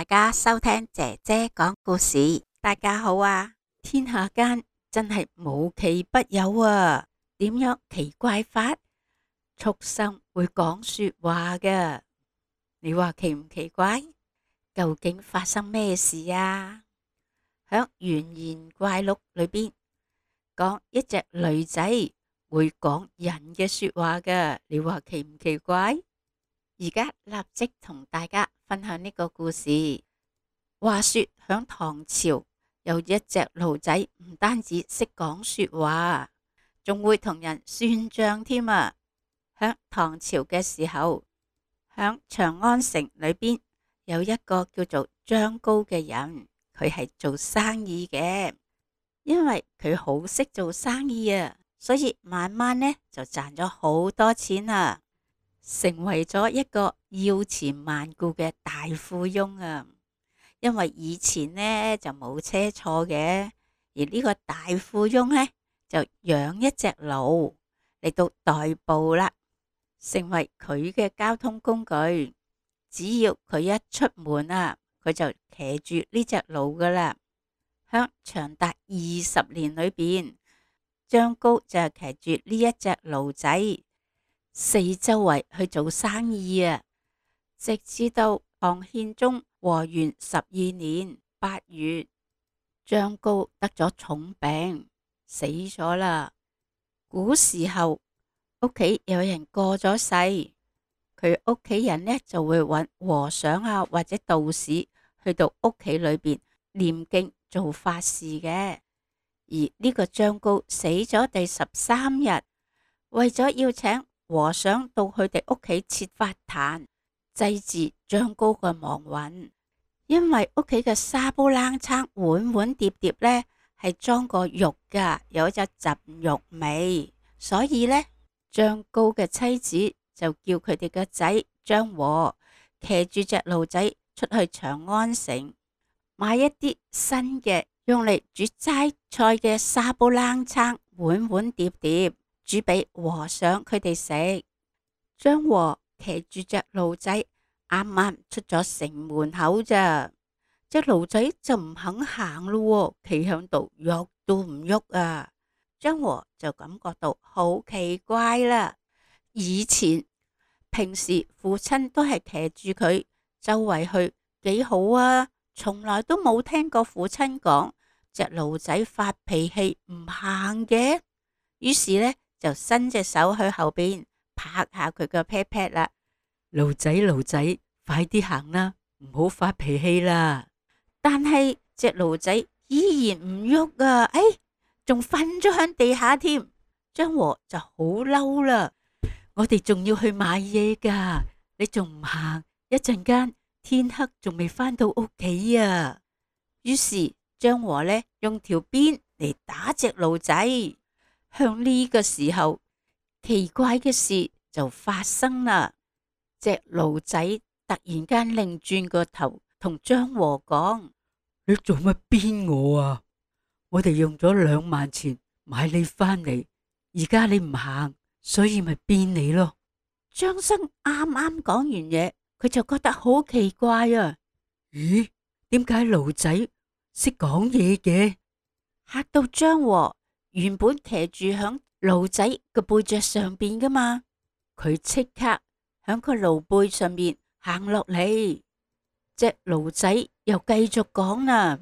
家收聽姐姐講故事。大家好啊！天下間真係無奇不有啊！點樣奇怪法？畜生會講說話㗎，你話奇唔奇怪？究竟發生咩事啊？響寓言怪錄裏邊講一隻驢仔會講人嘅說話㗎，你話奇唔奇怪？而家立即同大家分享呢個故事。話說響唐朝有一隻驢仔，唔單止識講說話，仲會同人算賬添啊！響唐朝嘅時候，響長安城裏邊有一個叫做張高嘅人，佢係做生意嘅。因為佢好識做生意啊，所以慢慢呢就賺咗好多錢啊，成為咗一個要錢萬顧嘅大富翁啊！因為以前呢就冇車坐嘅，而呢個大富翁呢就養一隻驢嚟到代步啦，成為佢嘅交通工具。只要佢一出門啊，佢就騎住呢隻驢噶啦。響長達20年裏邊，張高就係騎住呢一隻驢仔四周圍去做生意啊，直至到唐憲宗和元12年8月，張高得咗重病死咗啦。古時候屋企有人過咗世，佢屋企人呢就會揾和尚啊或者道士去到屋企裏邊念經做法事嘅。而呢個張高死咗第13日，為咗要請和尚到佢哋屋企設法壇祭祀張高嘅亡魂，因為屋企嘅沙煲冷餐碗碗碟碟呢係裝過肉噶，有一陣肉味，所以呢，張高嘅妻子就叫佢哋嘅仔張和騎住隻驢仔出去長安城買一啲新嘅用嚟煮齋菜嘅沙煲冷餐碗碗碟碟，煮俾和尚佢哋食。張和騎住隻驢仔啱啱出咗城門口咋，隻驢仔就唔肯行咯，企響度喐都唔喐啊！張和就感覺到好奇怪啦。以前平時父親都係騎住佢周圍去，幾好啊，從來都冇聽過父親講隻驢仔發脾氣唔行嘅。於是呢，就伸隻手去後邊拍下佢個 pat pat 啦。驢仔，驢仔，快啲行啦，唔好發脾氣啦。但係隻驢仔依然唔喐啊，仲瞓咗響地下添。張和就好嬲啦，我哋仲要去買嘢噶，你仲唔行？一陣間天黑仲未返到屋企啊！於是張和呢用條鞭嚟打隻驢仔。向呢個時候，奇怪嘅事就發生啦。隻驢仔突然間擰轉個頭，同張和講：你做乜鞭我啊？我哋用咗2萬錢買你返嚟，而家你唔行，所以咪鞭你咯。張生啱啱講完嘢，佢就覺得好奇怪啊！咦，點解驢仔識講嘢嘅？嚇到張和原本騎住響驢仔嘅背脊上邊噶嘛，佢即刻響個驢背上面行落嚟。隻驢仔又繼續講啦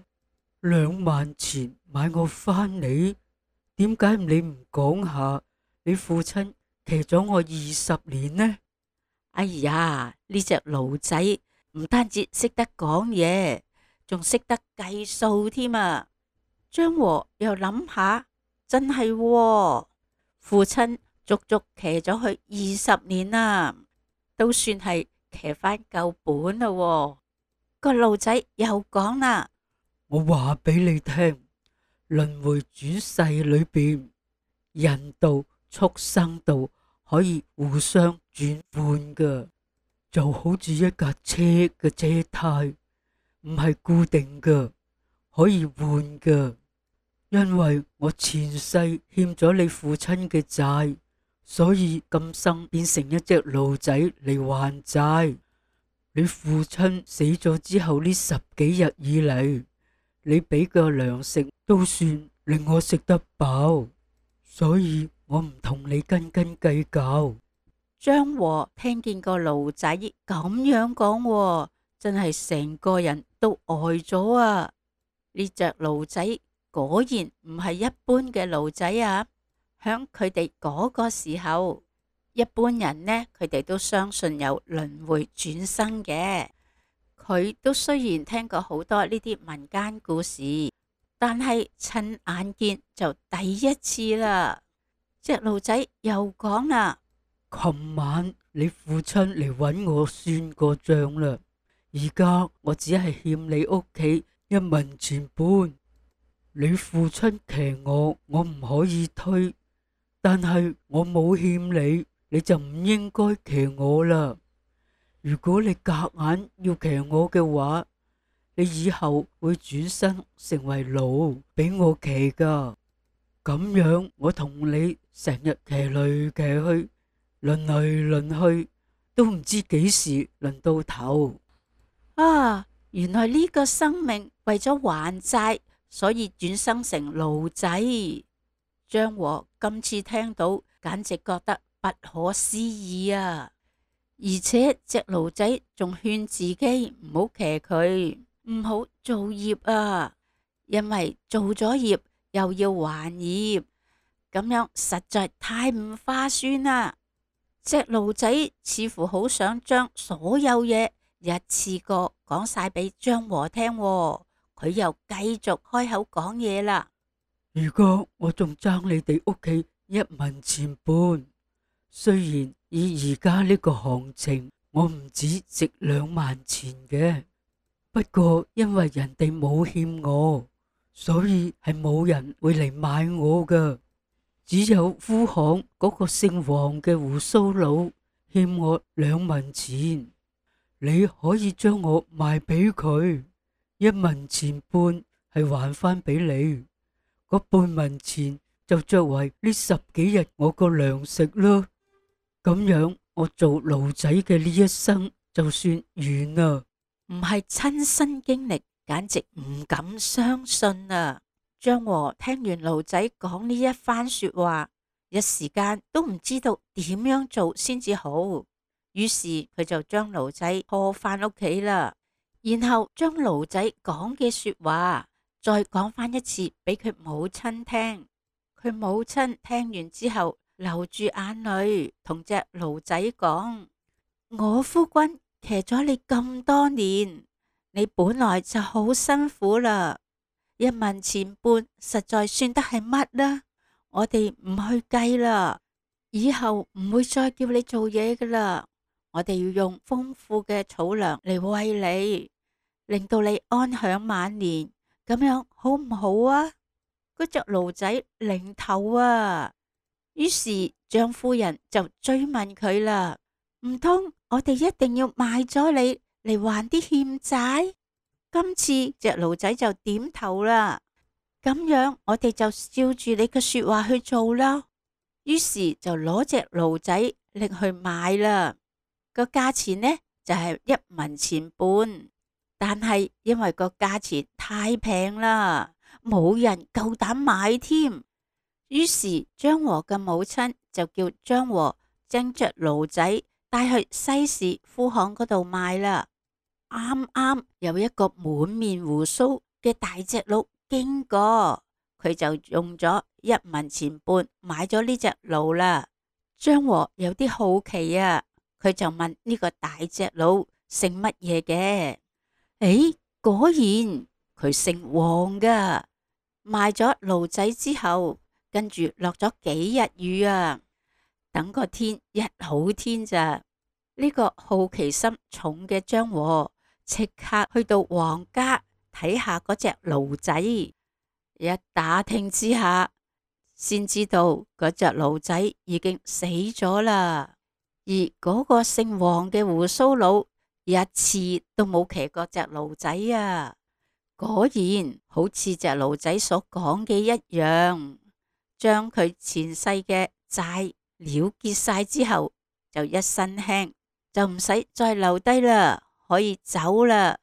：2萬錢買我返嚟，點解你唔講下你父親騎咗我20年呢？哎呀，呢隻驢仔唔單止識得講嘢，仲識得計數添啊！張和又諗下，真係喎，父親足足騎咗佢20年啦，都算係騎返夠本啦喎。個驢仔又講啦：我話俾你聽，輪迴轉世裏邊，人道、畜生道可以互相轉換噶，就好似一架車嘅車胎，唔係固定噶，可以換噶。因為我前世欠咗你父親嘅債，所以今生變成一隻驢仔嚟還債。你父親死咗之後呢10幾日以嚟，你俾嘅糧食都算令我食得飽，所以我唔同你斤斤計較。張和聽見個驢仔咁樣講喎，真係成個人都呆咗啊！呢隻驢仔果然唔係一般嘅驢仔啊！響佢哋嗰個時候，一般人呢，佢哋都相信有輪迴轉生嘅。佢都雖然聽過好多呢啲民間故事，但係親眼見就第一次啦。隻驢仔又講啦：琴晚你父親嚟搵我算過賬啦，而家我只係欠你屋企1文錢半。你父親騎我唔可以推，但係我冇欠你，你就唔應該騎我啦。如果你夾硬要騎我嘅話，你以後會轉生成為驢俾我騎噶。咁樣我同你成日騎嚟騎去，輪嚟輪去，都唔知幾時輪到頭。啊，原來呢個生命為咗還債，所以轉生成驢仔。張和今次聽到，簡直覺得不可思議啊！而且隻驢仔仲勸自己唔好騎佢，唔好做業啊，因為做咗業又要還業，咁樣實在太唔划算啦。隻驢仔似乎好想將所有嘢一次過講晒俾張和聽喎，佢又繼續開口講嘢啦。如果我仲爭你哋屋企1文錢半，雖然以而家呢個行情，我唔止值2萬錢嘅，不過因為人哋冇欠我，所以係冇人會嚟買我噶。只有夫行嗰個姓黃嘅鬍鬚佬欠我2文錢，你可以將我賣俾佢，1文錢半係還翻俾你，嗰半文錢就作為呢10幾日我個糧食咯。咁樣我做驢仔嘅呢一生就算完啦。唔係親身經歷，簡直唔敢相信啊！張和聽完驢仔講呢一番說話，一時間都唔知道點樣做先至好，於是佢就將驢仔拖翻屋企啦，然後將驢仔講嘅說話再講翻一次俾佢母親聽。佢母親聽完之後流住眼淚，同隻驢仔講：我夫君騎咗你咁多年，你本來就好辛苦啦，1文錢半實在算得係乜呢？我哋唔去計啦，以後唔會再叫你做嘢噶啦。我哋要用豐富嘅草糧嚟餵你，令到你安享晚年，咁樣好唔好啊？嗰隻驢仔擰頭啊，於是張夫人就追問佢啦：唔通我哋一定要賣咗你嚟還啲欠債？今次隻驢仔就點頭啦，咁樣我哋就照住你嘅說話去做啦。於是就攞隻驢仔拎去賣啦，個價錢呢就係1文錢半，但係因為個價錢太平啦，冇人夠膽買添。於是張和嘅母親就叫張和將隻驢仔帶去西市夫行嗰度賣啦。啱啱有一個滿面鬍鬚嘅大隻佬經過，佢就用咗1文錢半買咗呢隻驢啦。張和有啲好奇啊，佢就問呢個大隻佬姓乜嘢嘅？誒，果然佢姓黃噶。賣咗驢仔之後，跟住落咗幾日雨啊，等個天一好天咋，呢個好奇心重嘅張和即刻去到黃家睇下嗰隻驢仔，一打聽之下，先知道嗰隻驢仔已經死咗啦。而嗰個姓黃嘅鬍鬚佬一次都冇騎過隻驢仔啊！果然好似隻驢仔所講嘅一樣，將佢前世嘅債了結晒之後，就一身輕，就唔使再留低啦，可以走啦。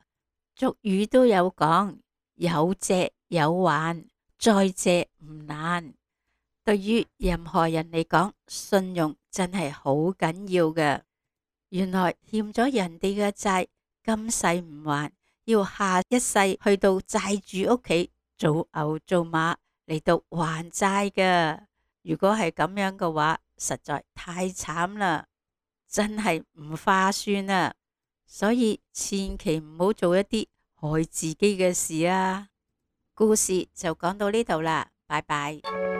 俗語都有講，有借有還，再借唔難。對於任何人嚟講，信用真係好緊要嘅。原來欠咗人哋嘅債，今世唔還，要下一世去到債主屋企做牛做馬嚟到還債㗎。如果係咁樣嘅話，實在太慘啦，真係唔划算啊！所以千祈唔好做一啲害自己嘅事啊！故事就講到呢度啦，拜拜。